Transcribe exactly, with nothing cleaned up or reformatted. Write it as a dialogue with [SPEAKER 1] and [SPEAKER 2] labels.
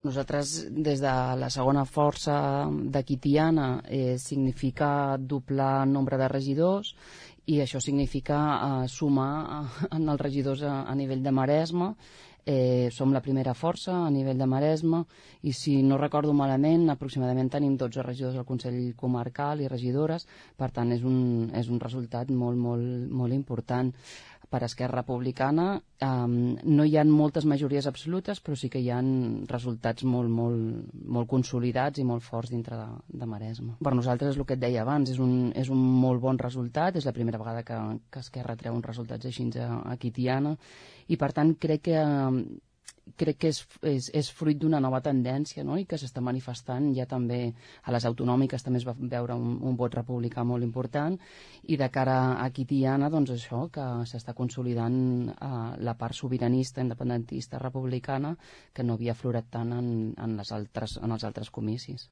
[SPEAKER 1] Nosaltres, des de la segona força de Quitiana, eh, significa doblar el nombre de regidors i això significa eh, sumar en els regidors a, a nivell de Maresme. Eh, som la primera força a nivell de Maresme i, si no recordo malament, aproximadament tenim dotze regidors al Consell Comarcal i regidores. Per tant, és un, és un resultat molt, molt, molt important. Per Esquerra Republicana um, no hi ha moltes majories absolutes, però sí que hi ha resultats molt, molt, molt consolidats i molt forts dintre de, de Maresme. Per nosaltres, és el que et deia abans, és un, és un molt bon resultat, és la primera vegada que, que Esquerra treu uns resultats així a, a Quitiana, i per tant crec que um, crec que és, és, és fruit d'una nova tendència, no? I que s'està manifestant ja també a les autonòmiques. També es va veure un, un vot republicà molt important, i de cara a Quitiana, doncs això, que s'està consolidant eh, la part sobiranista, independentista, republicana, que no havia aflorat tant en, en, les altres, en els altres comicis.